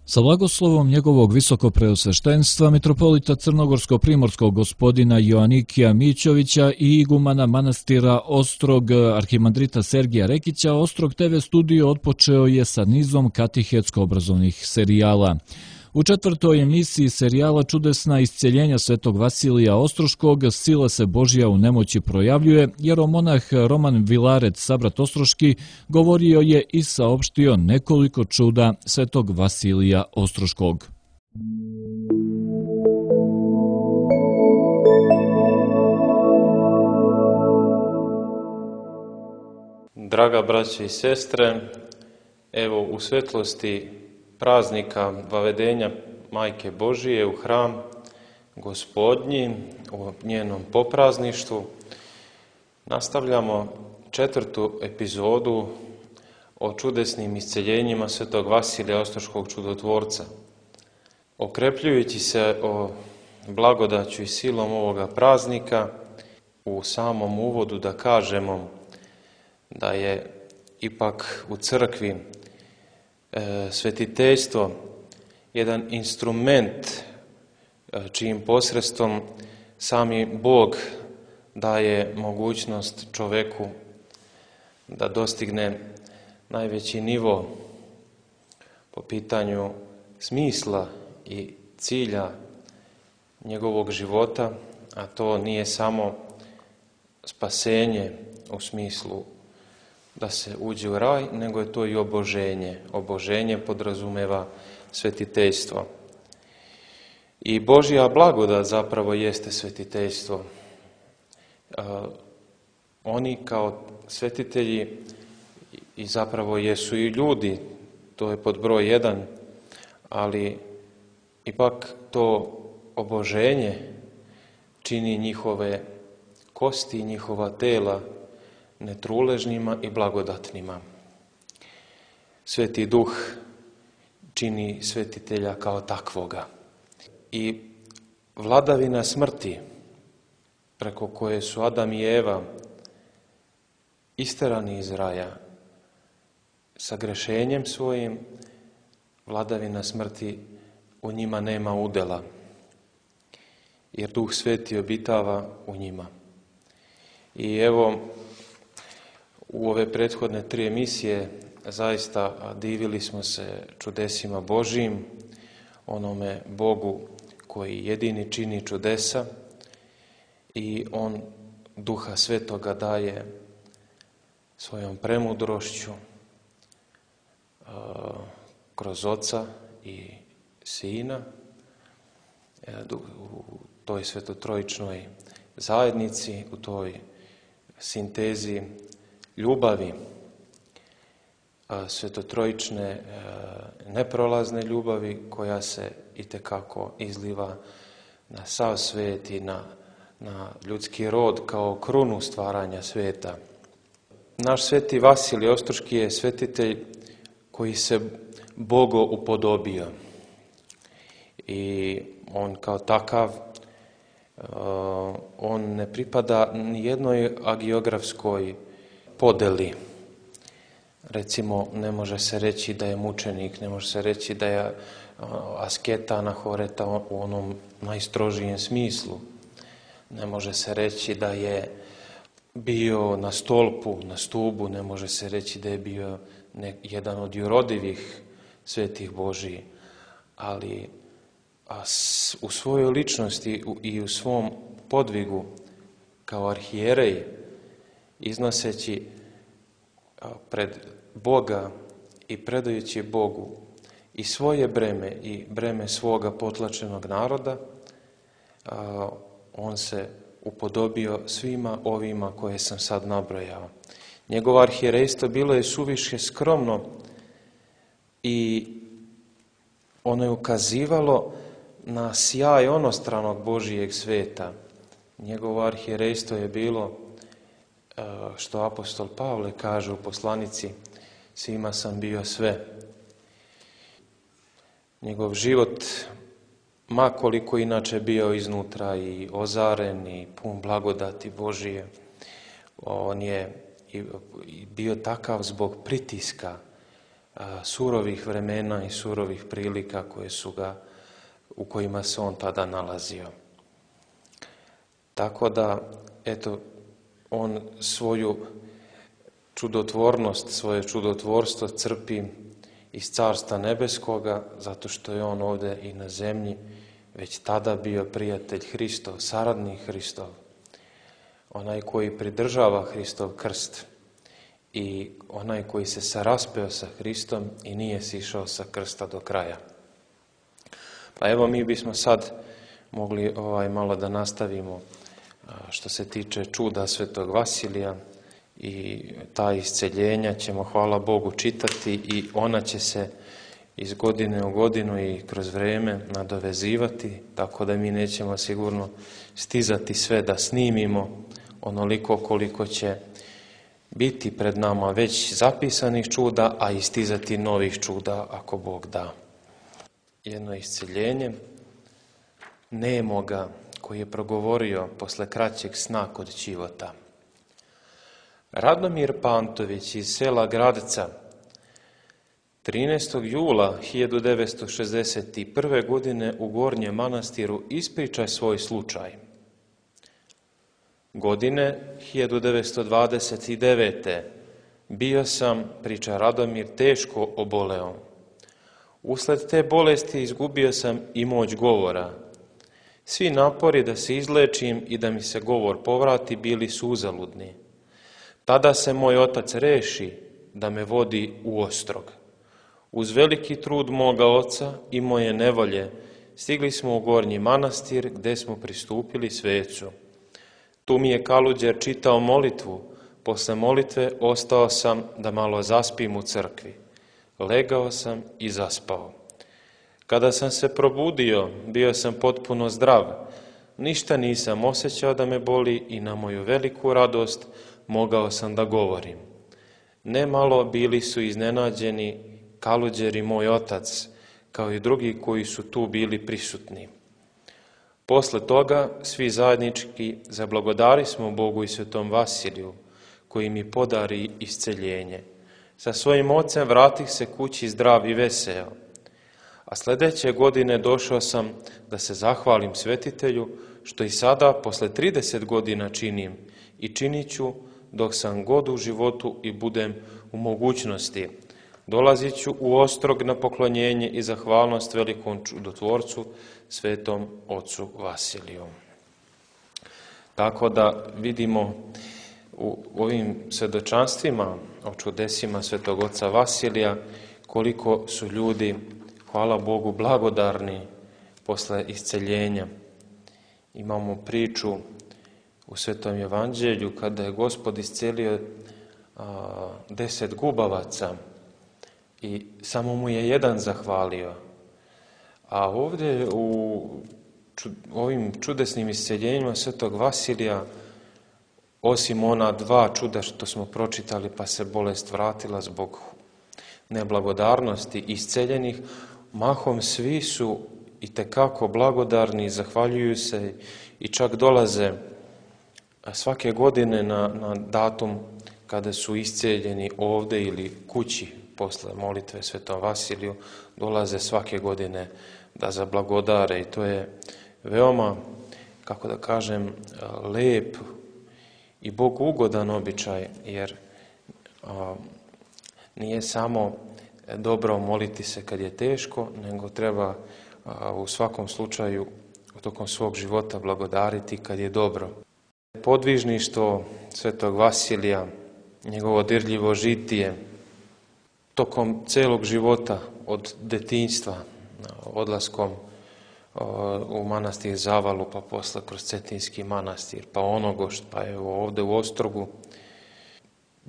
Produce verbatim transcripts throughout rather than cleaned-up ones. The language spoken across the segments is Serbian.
Sa blagoslovom njegovog visokopreosveštenstva mitropolita crnogorsko-primorskog gospodina Joanikija Mićovića i igumana manastira Ostrog arhimandrita Sergija Rekića, Ostrog te ve studio otpočeo je sa nizom katehetsko-obrazovnih serijala. U četvrtoj emisiji serijala Čudesna isceljenja svetog Vasilija Ostroškog sila se Božja u nemoći projavljuje, jeromonah Roman Vilarec Sabrat Ostroški govorio je i saopštio nekoliko čuda svetog Vasilija Ostroškog. Draga braće i sestre, evo u svetlosti praznika vavedenja Majke Božije u hram Gospodnji, u njenom poprazništvu, nastavljamo četvrtu epizodu o čudesnim isceljenjima svetog Vasilija Ostroškog čudotvorca. Okrepljujući se o blagodaću i silom ovoga praznika, u samom uvodu da kažemo da je ipak u crkvi svetiteljstvo jedan instrument čijim posredstvom sami Bog daje mogućnost čoveku da dostigne najveći nivo po pitanju smisla i cilja njegovog života, a to nije samo spasenje u smislu da se uđe u raj, nego je to i oboženje. Oboženje podrazumeva svetiteljstvo. I Božja blagodat zapravo jeste svetiteljstvo. E, oni kao svetitelji i zapravo jesu i ljudi, to je pod broj jedan, ali ipak to oboženje čini njihove kosti i njihova tela netruležnima i blagodatnima. Sveti Duh čini svetitelja kao takvoga. I vladavina smrti, preko koje su Adam i Eva isterani iz raja, sa grešenjem svojim, vladavina smrti u njima nema udela, jer Duh Sveti obitava u njima. I evo, u ove prethodne tri emisije zaista divili smo se čudesima Božijim, onome Bogu koji jedini čini čudesa i On Duha Svetoga daje svojom premudrošću kroz Oca i Sina u toj svetotrojičnoj zajednici, u toj sintezi ljubavi, svetotrojične neprolazne ljubavi koja se itekako izliva na sav svet i na, na ljudski rod kao krunu stvaranja sveta. Naš sveti Vasilij Ostroški je svetitelj koji se Bogu upodobio i on kao takav on ne pripada ni jednoj agiografskoj podeli. Recimo, ne može se reći da je mučenik, ne može se reći da je asketa, anahoreta u onom najstrožijem smislu. Ne može se reći da je bio na stolpu, na stubu, ne može se reći da je bio jedan od jurodivih svetih Božiji, ali a u svojoj ličnosti i u svom podvigu kao arhijerej, iznoseći pred Boga i predajući Bogu i svoje breme i breme svoga potlačenog naroda, on se upodobio svima ovima koje sam sad nabrojao. Njegovo arhijerejstvo bilo je suviše skromno i ono je ukazivalo na sjaj onostranog Božijeg sveta. Njegovo arhijerejstvo je bilo, što apostol Pavle kaže u poslanici, svima sam bio sve. Njegov život, ma koliko inače bio iznutra i ozaren i pun blagodati Božije, on je bio takav zbog pritiska surovih vremena i surovih prilika koje su ga, u kojima se on tada nalazio. Tako da, eto, on svoju čudotvornost, svoje čudotvorstvo crpi iz Carstva nebeskoga, zato što je on ovdje i na zemlji već tada bio prijatelj Hristov, saradnik Hristov, onaj koji pridržava Hristov krst i onaj koji se saraspeo sa Hristom i nije sišao sa krsta do kraja. Pa evo, mi bismo sad mogli ovaj malo da nastavimo što se tiče čuda svetog Vasilija i ta isceljenja ćemo, hvala Bogu, čitati i ona će se iz godine u godinu i kroz vrijeme nadovezivati, tako da mi nećemo sigurno stizati sve da snimimo onoliko koliko će biti pred nama već zapisanih čuda, a i stizati novih čuda ako Bog da. Jedno isceljenje nemoga koji je progovorio posle kraćeg sna kod ćivota. Radomir Pantović iz sela Gradca trinaestog jula hiljadu devetsto šezdeset prve. godine u Gornjem Manastiru ispriča svoj slučaj. Godine hiljadu devetsto dvadeset devete. bio sam, priča Radomir, teško oboleo. Usled te bolesti izgubio sam i moć govora. Svi napori da se izlečim i da mi se govor povrati bili su uzaludni. Tada se moj otac reši da me vodi u Ostrog. Uz veliki trud moga oca i moje nevolje stigli smo u Gornji Manastir gdje smo pristupili svecu. Tu mi je kaluđer čitao molitvu. Posle molitve ostao sam da malo zaspim u crkvi. Legao sam i zaspao. Kada sam se probudio, bio sam potpuno zdrav. Ništa nisam osjećao da me boli i na moju veliku radost mogao sam da govorim. Nemalo bili su iznenađeni kaluđer i moj otac, kao i drugi koji su tu bili prisutni. Posle toga svi zajednički zablagodari smo Bogu i svetom Vasiliju, koji mi podari isceljenje. Sa svojim ocem vratih se kući zdrav i veseo. A sljedeće godine došao sam da se zahvalim svetitelju, što i sada, posle trideset godina činim i činit ću dok sam god u životu i budem u mogućnosti. Dolazit ću u Ostrog na poklonjenje i zahvalnost velikom čudotvorcu, svetom ocu Vasiliju. Tako da vidimo u ovim svjedočanstvima o čudesima svetog oca Vasilija koliko su ljudi, hvala Bogu, blagodarni posle isceljenja. Imamo priču u Svetom Evanđelju kada je Gospod iscelio a, deset gubavaca i samo mu je jedan zahvalio. A ovdje u ču, ovim čudesnim isceljenjima svetog Vasilija, osim ona dva čuda što smo pročitali pa se bolest vratila zbog neblagodarnosti isceljenih, mahom svi su itekako blagodarni, zahvaljuju se i čak dolaze svake godine na, na datum kada su isceljeni ovdje ili kući posle molitve svetom Vasiliju, dolaze svake godine da zablagodare i to je veoma, kako da kažem, lep i Bogu ugodan običaj, jer a, nije samo dobro moliti se kad je teško, nego treba a, u svakom slučaju tokom svog života blagodariti kad je dobro. Podvižništvo svetog Vasilija, njegovo dirljivo žitije, tokom celog života od detinjstva, odlaskom u manastir Zavalu, pa posle kroz Cetinski manastir, pa Onogošt, pa evo ovdje u Ostrogu,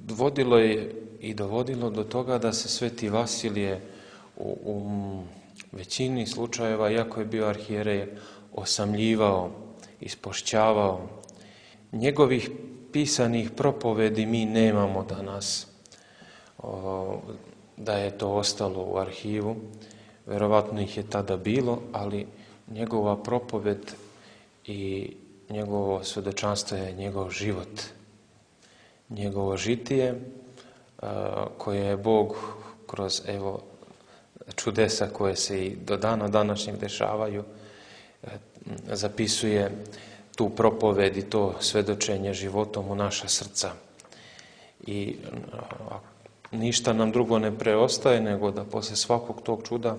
vodilo je i dovodilo do toga da se sveti Vasilije u, u većini slučajeva, iako je bio arhijerej, osamljivao, ispošćavao. Njegovih pisanih propovedi mi nemamo danas, o, da je to ostalo u arhivu. Verovatno ih je tada bilo, ali njegova propoved i njegovo svedočanstvo je njegov život. Njegovo žitije, a, koje je Bog kroz evo čudesa koje se i do dana današnjeg dešavaju, zapisuje tu propoved i to svedočenje životom u naša srca. I ništa nam drugo ne preostaje nego da posle svakog tog čuda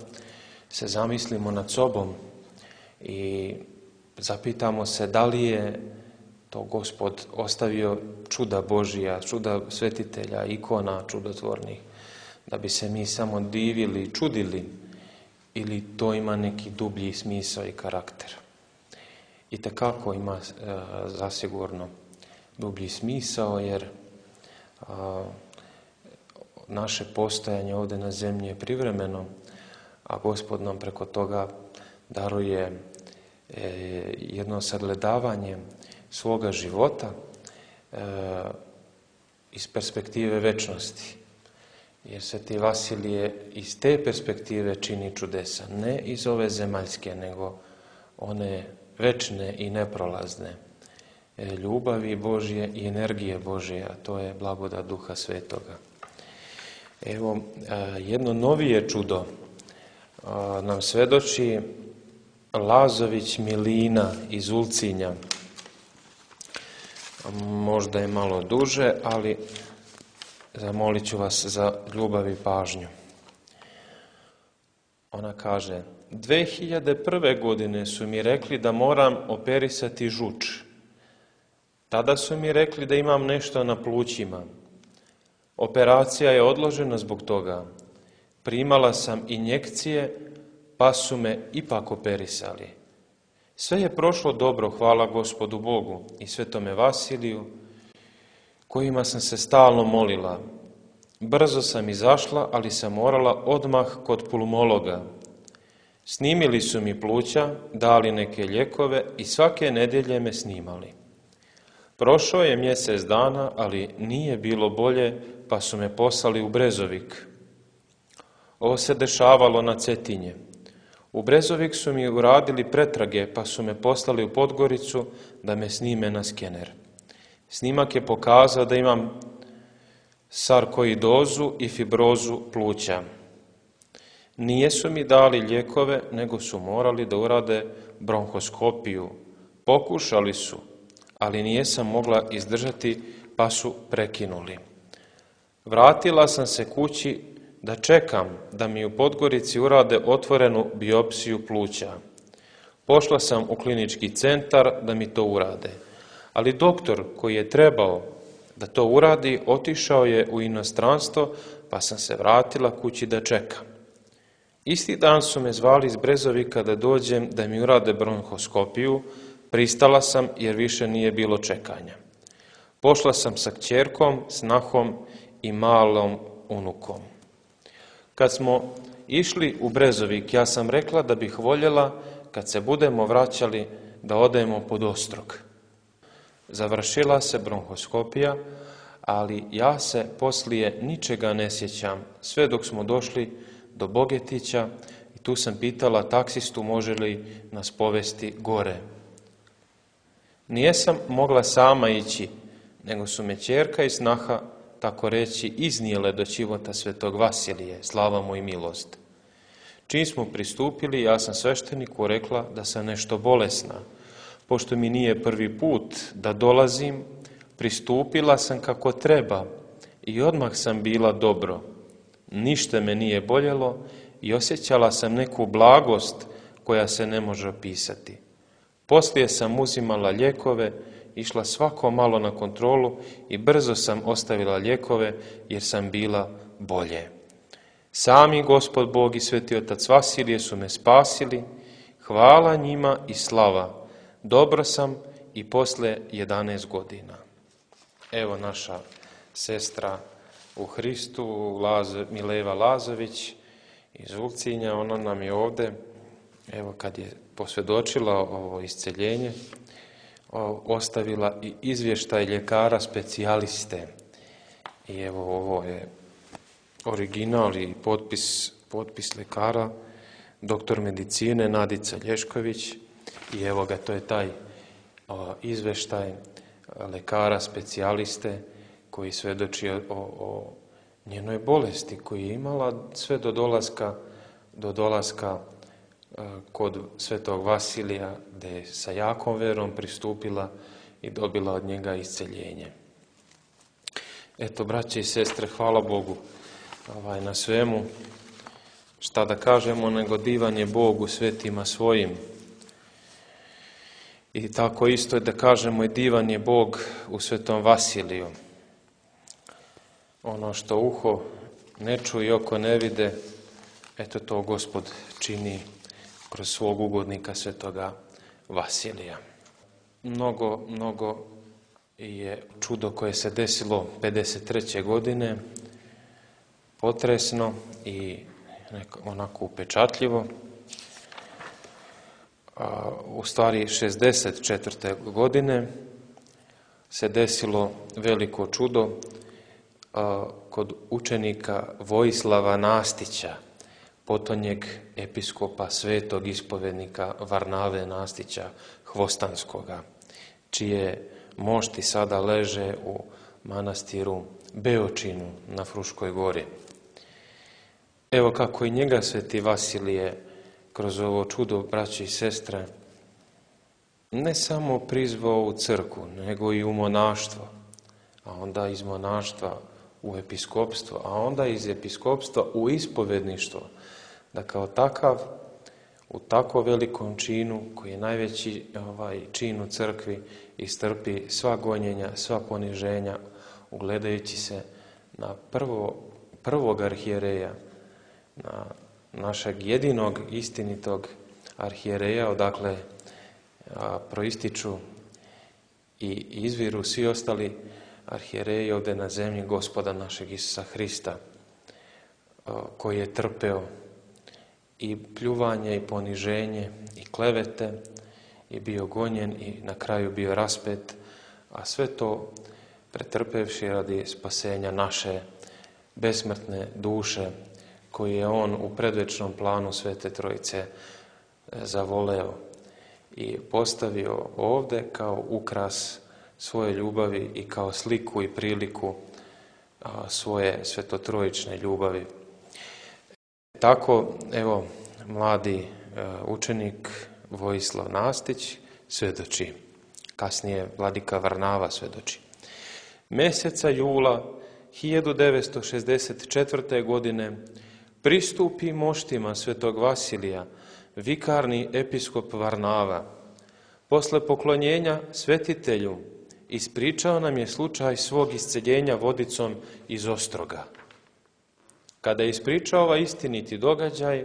se zamislimo nad sobom i zapitamo se da li je to Gospod ostavio čuda Božija, čuda svetitelja, ikona čudotvornih, da bi se mi samo divili, čudili, ili to ima neki dublji smisao i karakter. I tekako ima e, zasigurno dublji smisao, jer a, naše postojanje ovdje na zemlji je privremeno, a Gospod nam preko toga daruje e, jedno sagledavanje svoga života e, iz perspektive večnosti. Jer Sveti Vasilije iz te perspektive čini čudesa, ne iz ove zemaljske, nego one večne i neprolazne e, ljubavi Božje i energije Božje, a to je blagodat Duha Svetoga. Evo, e, jedno novije čudo e, nam svedoči Lazović Milina iz Ulcinja. Možda je malo duže, ali zamolit ću vas za ljubav i pažnju. Ona kaže: dve hiljade prve. godine su mi rekli da moram operisati žuč. Tada su mi rekli da imam nešto na plućima. Operacija je odložena zbog toga. Primala sam injekcije, pa su me ipak operisali. Sve je prošlo dobro, hvala Gospodu Bogu i Svetome Vasiliju, kojima sam se stalno molila. Brzo sam izašla, ali sam morala odmah kod pulmologa. Snimili su mi pluća, dali neke lijekove i svake nedjelje me snimali. Prošao je mjesec dana, ali nije bilo bolje, pa su me poslali u Brezovik. Ovo se dešavalo na Cetinje. U Brezovik su mi uradili pretrage, pa su me poslali u Podgoricu da me snime na skener. Snimak je pokazao da imam sarkoidozu i fibrozu pluća. Nijesu mi dali lijekove, nego su morali da urade bronhoskopiju. Pokušali su, ali nijesam mogla izdržati, pa su prekinuli. Vratila sam se kući da čekam da mi u Podgorici urade otvorenu biopsiju pluća. Pošla sam u klinički centar da mi to urade, ali doktor koji je trebao da to uradi otišao je u inostranstvo, pa sam se vratila kući da čekam. Isti dan su me zvali iz Brezovika da dođem da mi urade bronhoskopiju. Pristala sam jer više nije bilo čekanja. Pošla sam sa kćerkom, snahom i malom unukom. Kad smo išli u Brezovik, ja sam rekla da bih voljela, kad se budemo vraćali, da odemo pod Ostrog. Završila se bronhoskopija, ali ja se poslije ničega ne sjećam, sve dok smo došli do Bogetića i tu sam pitala taksistu može li nas povesti gore. Nijesam mogla sama ići, nego su me ćerka i snaha, tako reći, iznijele do Čivota Svetog Vasilije, slava mu i milost. Čim smo pristupili, ja sam svešteniku rekla da sam nešto bolesna. Pošto mi nije prvi put da dolazim, pristupila sam kako treba i odmah sam bila dobro. Ništa me nije boljelo i osjećala sam neku blagost koja se ne može opisati. Poslije sam uzimala lijekove, išla svako malo na kontrolu i brzo sam ostavila lijekove jer sam bila bolje. Sami Gospod Bog i Sveti Otac Vasilije su me spasili, hvala njima i slava. Dobro sam i posle jedanaest godina. Evo naša sestra u Hristu, Lazo, Mileva Lazović iz Ulcinja, ona nam je ovdje, evo kad je posvjedočila ovo isceljenje, ostavila i izvještaj ljekara specijaliste. I evo ovo je original i potpis, potpis ljekara, doktor medicine Nadica Lješković. I evo ga, to je taj o, izveštaj ljekara specijaliste koji svedoči o, o njenoj bolesti koju je imala sve do dolaska, do dolaska kod svetog Vasilija, gdje je sa jakom verom pristupila i dobila od njega isceljenje. Eto, braće i sestre, hvala Bogu ovaj, na svemu. Šta da kažemo, nego divan je Bog u svetima svojim. I tako isto je da kažemo i divan je Bog u svetom Vasiliju. Ono što uho ne čuje i oko ne vide, eto to Gospod čini kroz svog ugodnika svetoga Vasilija. Mnogo, mnogo je čudo koje se desilo pedeset treće godine, potresno i onako upečatljivo. U stvari šezdeset četvrte godine se desilo veliko čudo kod učenika Vojislava Nastića, potonjeg episkopa svetog ispovednika Varnave Nastića Hvostanskoga, čije mošti sada leže u manastiru Beočinu na Fruškoj gori. Evo kako i njega sveti Vasilije kroz ovo čudo, braće i sestre, ne samo prizvao u crkvu, nego i u monaštvo, a onda iz monaštva u episkopstvo, a onda iz episkopstva u ispovedništvo, da kao takav, u tako velikom činu, koji je najveći ovaj, čin u crkvi, istrpi sva gonjenja, sva poniženja, ugledajući se na prvo, prvog arhijereja, na našeg jedinog istinitog arhijereja, odakle a, proističu i izviru svi ostali arhijereji ovdje na zemlji, Gospoda našeg Isusa Hrista, a, koji je trpeo i pljuvanje i poniženje i klevete i bio gonjen i na kraju bio raspet, a sve to pretrpevši radi spasenja naše besmrtne duše, koji je on u predvečnom planu Svete Trojice zavoleo i postavio ovdje kao ukras svoje ljubavi i kao sliku i priliku svoje svetotrojične ljubavi. Tako, evo, mladi učenik Vojislav Nastić svedoči, kasnije vladika Varnava svedoči. Meseca jula hiljadu devetsto šezdeset četvrte. godine pristupi moštima svetog Vasilija, vikarni episkop Varnava. Posle poklonjenja svetitelju ispričao nam je slučaj svog isceljenja vodicom iz Ostroga. Kada je ispričao ovaj istiniti događaj,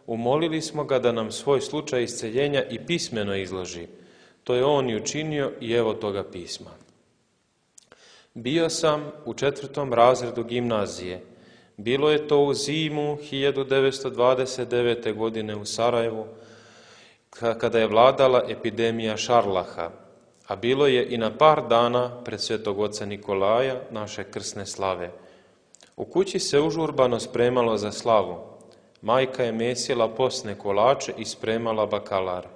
umolili smo ga da nam svoj slučaj isceljenja i pismeno izloži. To je on i učinio i evo toga pisma. Bio sam u četvrtom razredu gimnazije. Bilo je to u zimu hiljadu devetsto dvadeset devete. godine u Sarajevu, kada je vladala epidemija šarlaha, a bilo je i na par dana pred svetog oca Nikolaja, naše krsne slave. U kući se užurbano spremalo za slavu. Majka je mesila posne kolače i spremala bakalar.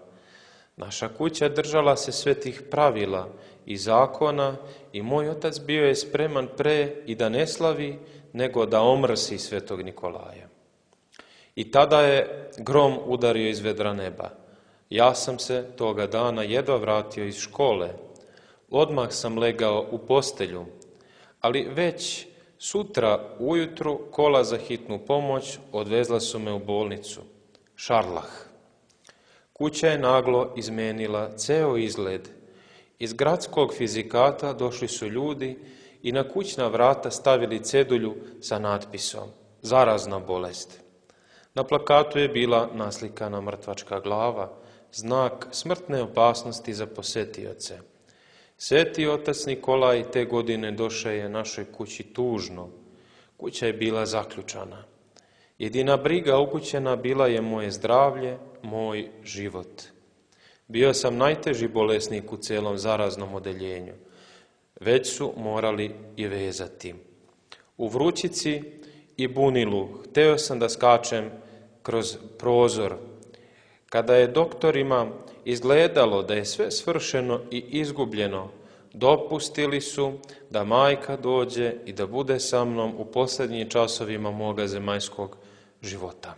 Naša kuća držala se svetih pravila i zakona i moj otac bio je spreman pre i da ne slavi, nego da omrsi svetog Nikolaja. I tada je grom udario iz vedra neba. Ja sam se toga dana jedva vratio iz škole. Odmah sam legao u postelju, ali već sutra ujutru kola za hitnu pomoć odvezla su me u bolnicu. Šarlah. Kuća je naglo izmenila ceo izgled. Iz gradskog fizikata došli su ljudi i na kućna vrata stavili cedulju sa natpisom zarazna bolest. Na plakatu je bila naslikana mrtvačka glava, znak smrtne opasnosti za posetioce. Sveti otac Nikolaj te godine došao je našoj kući tužno. Kuća je bila zaključana. Jedina briga upućena bila je moje zdravlje, moj život. Bio sam najteži bolesnik u celom zaraznom odeljenju. Već su morali i vezati. U vrućici i bunilu hteo sam da skačem kroz prozor. Kada je doktorima izgledalo da je sve svršeno i izgubljeno, Dopustili su da majka dođe i da bude sa mnom u posljednjim časovima moga zemaljskog života.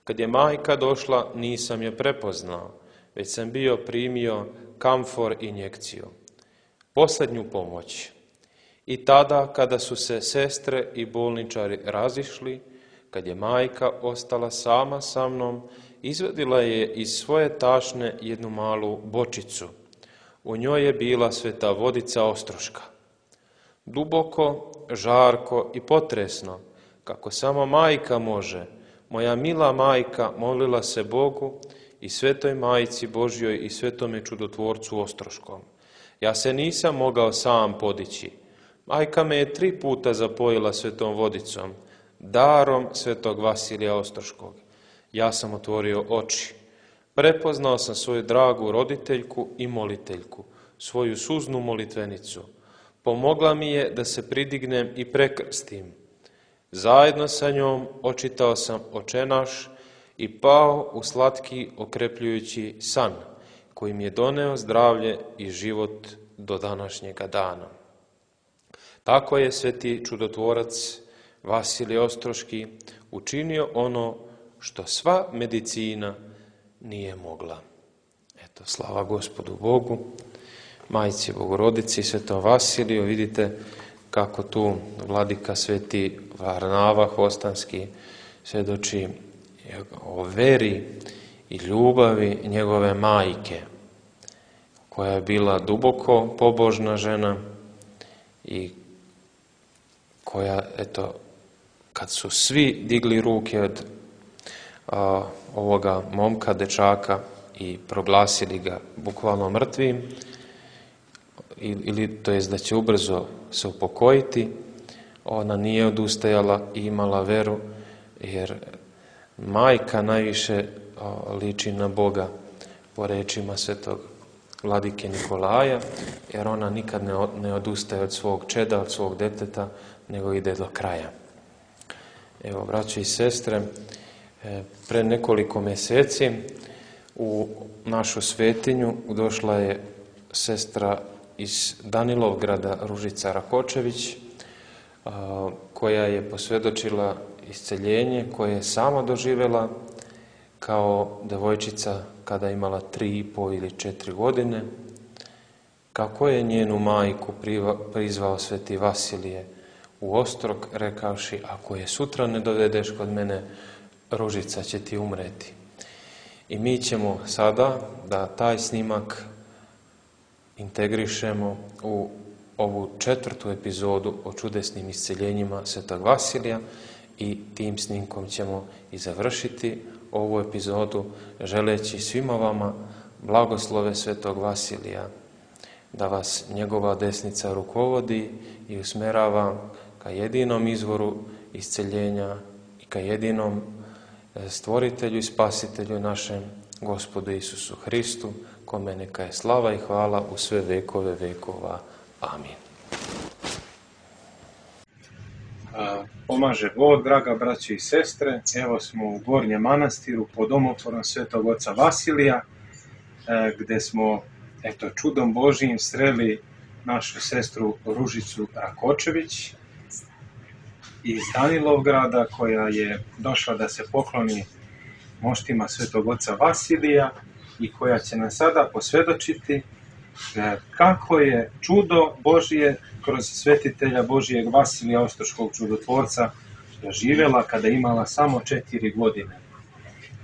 Kad je majka došla, nisam je prepoznao, već sam bio primio kamfor injekciju, posljednju pomoć. I tada, kada su se sestre i bolničari razišli, kad je majka ostala sama sa mnom, izvadila je iz svoje tašne jednu malu bočicu. U njoj je bila sveta vodica ostroška. Duboko, žarko i potresno, kako samo majka može, moja mila majka molila se Bogu i svetoj majici Božjoj i svetome čudotvorcu ostroškom. Ja se nisam mogao sam podići. Majka me je tri puta zapojila svetom vodicom, darom svetog Vasilija Ostroškog. Ja sam otvorio oči. Prepoznao sam svoju dragu roditeljku i moliteljku, svoju suznu molitvenicu. Pomogla mi je da se pridignem i prekrstim. Zajedno sa njom očitao sam očenaš i pao u slatki okrepljujući san, koji mi je doneo zdravlje i život do današnjega dana. Tako je sveti čudotvorac Vasilij Ostroški učinio ono što sva medicina nije mogla. Eto, slava Gospodu Bogu, Majci Bogorodici, svetom Vasiliju. Vidite kako tu vladika sveti Varnava Hvostanski svjedoči o veri i ljubavi njegove majke, koja je bila duboko pobožna žena i koja, eto, kad su svi digli ruke od a, ovoga momka, dečaka i proglasili ga bukvalno mrtvim, ili to jest da će ubrzo se upokojiti, ona nije odustajala i imala veru, jer majka najviše a, liči na Boga, po rečima svetog vladike Nikolaja, jer ona nikad ne, ne odustaje od svog čeda, od svog deteta, nego ide do kraja. Evo, braće i sestre, pre nekoliko mjeseci u našu svetinju došla je sestra iz Danilovgrada, Ružica Rakočević, koja je posvjedočila isceljenje koje je sama doživjela kao devojčica kada je imala tri i po ili četiri godine, kako je njenu majku prizvao sveti Vasilije u Ostrog, rekavši: ako je sutra ne dovedeš kod mene, Ružica će ti umreti. I mi ćemo sada da taj snimak integrišemo u ovu četvrtu epizodu o čudesnim isceljenjima svetog Vasilija i tim snimkom ćemo i završiti ovu epizodu, želeći svima vama blagoslove svetog Vasilija, da vas njegova desnica rukovodi i usmerava ka jedinom izvoru isceljenja i ka jedinom stvoritelju i spasitelju našem Gospodu Isusu Hristu, kome neka je slava i hvala u sve vekove vekova. Amin. Pomaže Bog, draga braće i sestre. Evo smo u Gornjem manastiru pod domotvorom svetog oca Vasilija, gde smo, eto, čudom Božijim sreli našu sestru Ružicu Rakočević iz Danilovgrada, koja je došla da se pokloni moštima svetog oca Vasilija i koja će nam sada posvjedočiti kako je čudo Božije kroz svetitelja Božijeg Vasilija Ostroškog čudotvorca doživjela kada je imala samo četiri godine.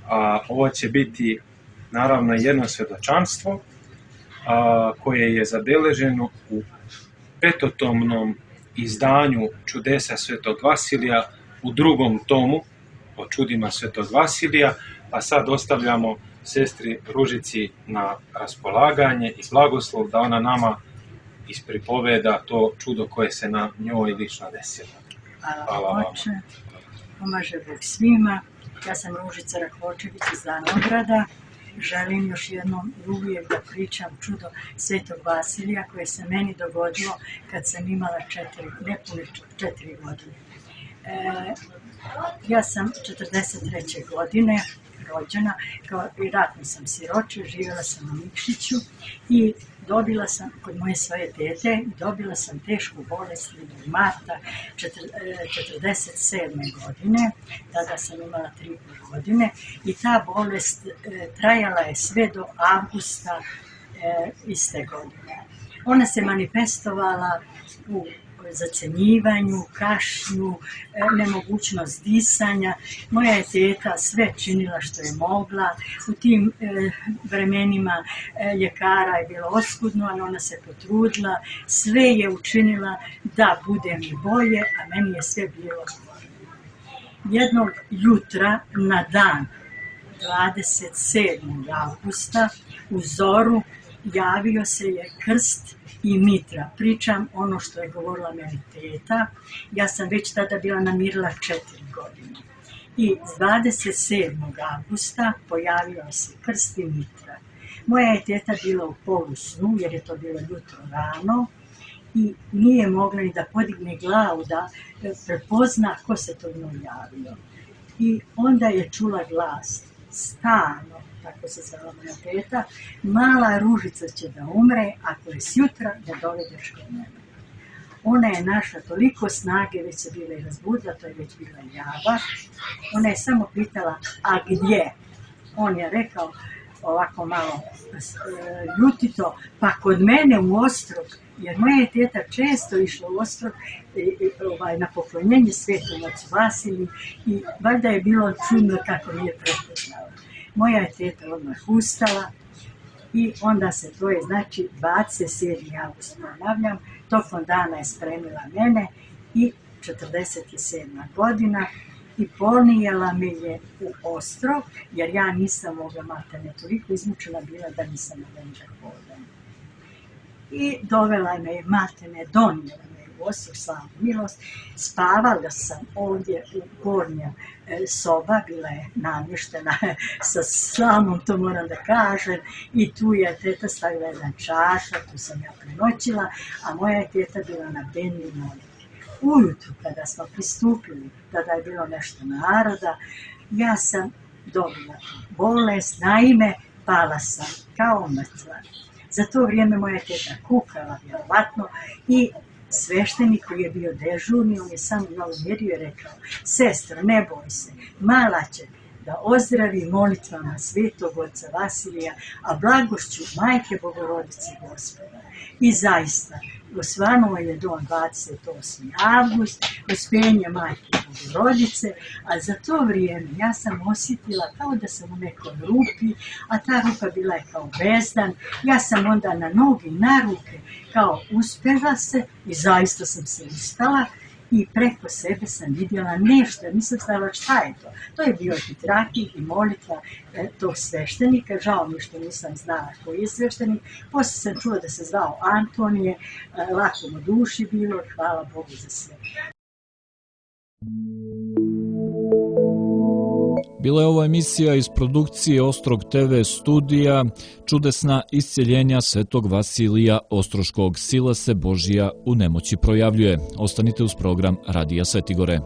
A ovo će biti naravno jedno svjedočanstvo a, koje je zabeleženo u petotomnom izdanju Čudesa svetog Vasilija u drugom tomu o čudima svetog Vasilija, pa sad ostavljamo sestri Ružici na raspolaganje i blagoslov da ona nama ispripoveda to čudo koje se na njoj lično desilo. Hvala oče, pomaže Bog svima. Ja sam Ružica Rakočević iz Danilovgrada. Želim još jednom i uvijek da pričam čudo svetog Vasilija koje se meni dogodilo kad sam imala četiri, nepune četiri godine. E, ja sam četrdeset treće godine rođena, kao i ratno sam siroče, živjela sam u Nikšiću i dobila sam kod moje svoje tete, dobila sam tešku bolest marta četrdeset sedme godine, tada sam imala tri godine i ta bolest trajala je sve do avgusta iste godine. Ona se manifestovala u zacenjivanju, kašnju, nemogućnost disanja. Moja je teta sve činila što je mogla. U tim vremenima ljekara je bilo oskudno, ali ona se potrudila. Sve je učinila da bude mi bolje, a meni je sve bilo bolje. Jednog jutra na dan dvadeset sedmog avgusta u zoru javio se je krst i mitra. Pričam ono što je govorila meni teta. Ja sam već tada bila namirila četiri godine. I dvadeset sedmog avgusta pojavio se krst i mitra. Moja je teta bila u polusnu, jer je to bilo jutro rano, i nije mogla ni da podigne glavu, da prepozna ko se to njoj javio. I onda je čula glas, Stano, tako se zvala moja teta, mala Ružica će da umre, ako je sjutra da dovedeš kod mene. Ona je našla toliko snage, već se bila i razbudila, to je već bila java. Ona je samo pitala, a gdje? On je rekao, ovako malo ljutito, pa kod mene u Ostrog, jer moja je teta često išla u Ostrog na poklonjenje Svetom ocu Vasiliju i valjda je bilo čudno kako nije prepoznala. Moja je teta odmah ustala i onda se to je, znači, dvadeset sedmi avgust ponavljam, tokom dana je spremila mene i četrdeset sedma godina i ponijela me je u Ostrog, jer ja nisam mogla materne toliko izmučena bila da nisam mogla ničak hodati. I dovela me je materne, donijela me u Ostrog, slavu milost. Spavala sam ovdje u gornjem soba, bila je namještena sa slamom, to moram da kažem, i tu je teta stavila jedan čašak, tu sam ja prenoćila, a moja je teta bila na Benni molitvi. Ujutru, kada smo pristupili, tada je bilo nešto naroda, ja sam dobila bolest, naime, pala sam kao mrtva. Za to vrijeme moja teta kukala, vjerovatno, i sveštenik koji je bio dežurni, on je sam malo mjerio i rekao, sestro, ne boj se, mala će da ozdravi molitvama Svetog oca Vasilija, a blagošću Majke Bogorodice Gospoda. I zaista, osvanuo je dom dvadeset osmi avgust, uspenje Majke Bogorodice, a za to vrijeme ja sam osjetila kao da sam u nekom rupi, a ta rupa bila je kao bezdan. Ja sam onda na nogi, na ruke, kao uspela se i zaista sam se ustala i preko sebe sam vidjela nešto, nisam znala šta je to. To je bio hitraki i molitva tog sveštenika, žao mi što nisam znala koji je sveštenik. Poslije sam čula da se zvao Antonije, lako mu duši bilo, hvala Bogu za sve. Bila je ovo emisija iz produkcije Ostrog te ve studija, čudesna isceljenja Svetog Vasilija Ostroškog, sila se Božja u nemoći projavljuje. Ostanite uz program Radija Svetigore.